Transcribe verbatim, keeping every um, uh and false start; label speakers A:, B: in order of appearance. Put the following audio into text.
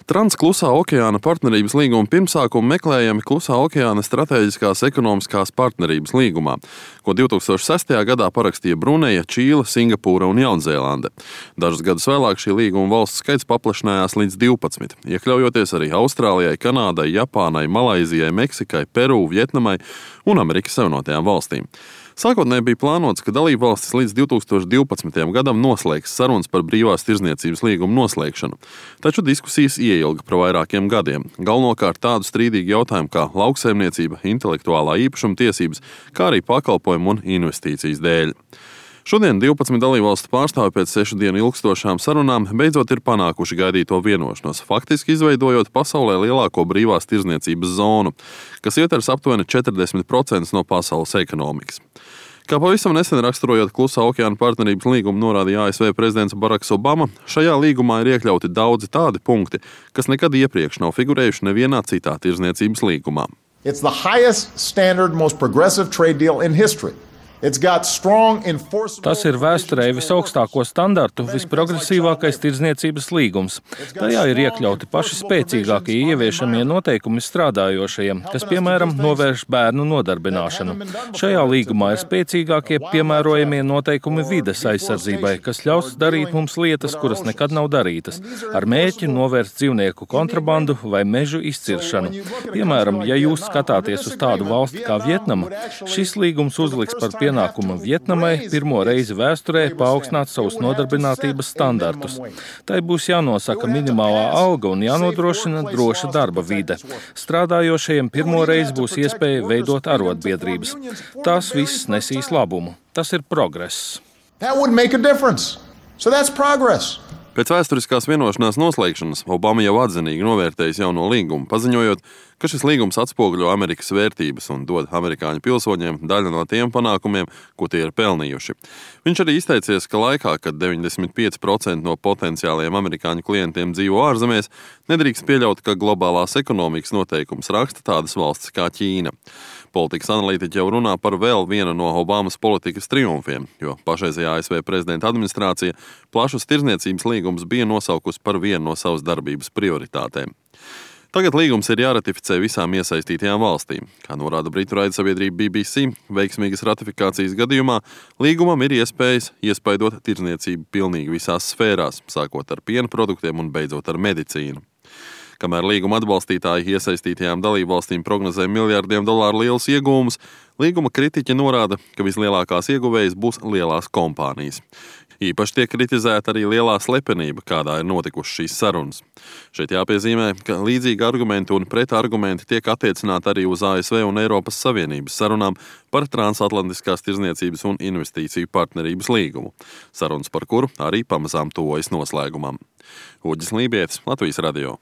A: Transklusā okeāna partnerības līguma pirmsākumi meklējami Klusā okeāna strateģiskās ekonomiskās partnerības līgumā, ko divi tūkstoši sestajā gadā parakstīja Bruneja, Čīle, Singapūra un Jaunzēlande. Dažus gadus vēlāk šī līguma valstu skaits paplašinājās līdz divpadsmit, iekļaujoties arī Austrālijai, Kanādai, Japānai, Malaizijai, Meksikai, Peru, Vietnamai un Amerikas Savienotajām valstīm. Sākotnēji bija plānots, ka dalībvalstis līdz divi tūkstoši divpadsmitajam gadam noslēgs sarunas par brīvās tirdzniecības līgumu noslēgšanu, taču diskusijas ieilga par vairākiem gadiem, galvenokārt tādu strīdīgu jautājumu kā lauksaimniecība, intelektuālā īpašuma tiesības, kā arī pakalpojumu un investīcijas dēļ. Šodien divpadsmit dalībvalstu pārstāvi pēc sešu dienu ilgstošām sarunām beidzot ir panākuši gaidīto vienošanos, faktiski izveidojot pasaulē lielāko brīvās tirdzniecības zonu, kas ietvers aptuveni četrdesmit procentus no pasaules ekonomikas. Kā pavisam nesen raksturojot Klusā okeāna partnerības līgumu norādīja A S V prezidents Baraks Obama, šajā līgumā ir iekļauti daudzi tādi punkti, kas nekad iepriekš nav figurējuši nevienā citā tirdzniecības līgumā.
B: It's the highest standard, most progressive trade deal in history.
C: Tas ir vēsturē visaugstāko standartu, visprogresīvākais tirdzniecības līgums. Tajā ir iekļauti paši spēcīgākie ieviešamie noteikumi strādājošajiem, kas, piemēram, novērš bērnu nodarbināšanu. Šajā līgumā ir spēcīgākie piemērojamie noteikumi vides aizsardzībai, kas ļaus darīt mums lietas, kuras nekad nav darītas, ar mērķi novērst dzīvnieku kontrabandu vai mežu izciršanu. Piemēram, ja jūs skatāties uz tādu valsti kā Vietnama, šis līgums uzliks par pienākumu Vietnamai pirmo reizi vēsturē paaugstināt savus nodarbinātības standartus. Tai būs jānosaka minimālā alga un jānodrošina droša darba vide. Strādājošajiem pirmo reizi būs iespēja veidot arotbiedrības. Tas viss nesīs labumu. Tas ir progress.
B: That would make a difference. So that's progress.
A: Pēc vēsturiskās vienošanās noslēgšanas Obama jau atzinīgi novērtējis jauno līgumu, paziņojot, ka šis līgums atspoguļo Amerikas vērtības un dod amerikāņu pilsoņiem daļu no tiem panākumiem, ko tie ir pelnījuši. Viņš arī izteicies, ka laikā, kad deviņdesmit pieci procenti no potenciālajiem amerikāņu klientiem dzīvo ārzemēs, nedrīkst pieļaut, ka globālās ekonomikas noteikums raksta tādas valstis kā Ķīna. Politikas analītiķi jau runā par vēl vienu no Obamas politikas triumfiem, jo pašreizējā A S V prezidenta administrācija plašus tirdzniecības līgumus bija nosaukusi par vienu no savas darbības prioritātēm. Tagad līgums ir jāratificē visām iesaistītajām valstīm. Kā norāda britu raidsabiedrība B B C, veiksmīgas ratifikācijas gadījumā līgumam ir iespējas iespaidot tirdzniecību pilnīgi visās sfērās, sākot ar piena produktiem un beidzot ar medicīnu. Kamēr līguma atbalstītāji iesaistītajām dalībvalstīm prognozē miljardiem dolāru lielus iegūmus, līguma kritiķi norāda, ka vislielākās ieguvējas būs lielās kompānijas. Īpaši tiek kritizēta arī lielā slepenība, kādā ir notikušas šīs sarunas. Šeit jāpiezīmē, ka līdzīgi argumenti un pretargumenti tiek attiecināti arī uz A S V un Eiropas Savienības sarunām par transatlantiskās tirdzniecības un investīciju partnerības līgumu, sarunas par kuru arī pamazām tuvojas noslēgumam. Uģis Lībietis, Latvijas radio.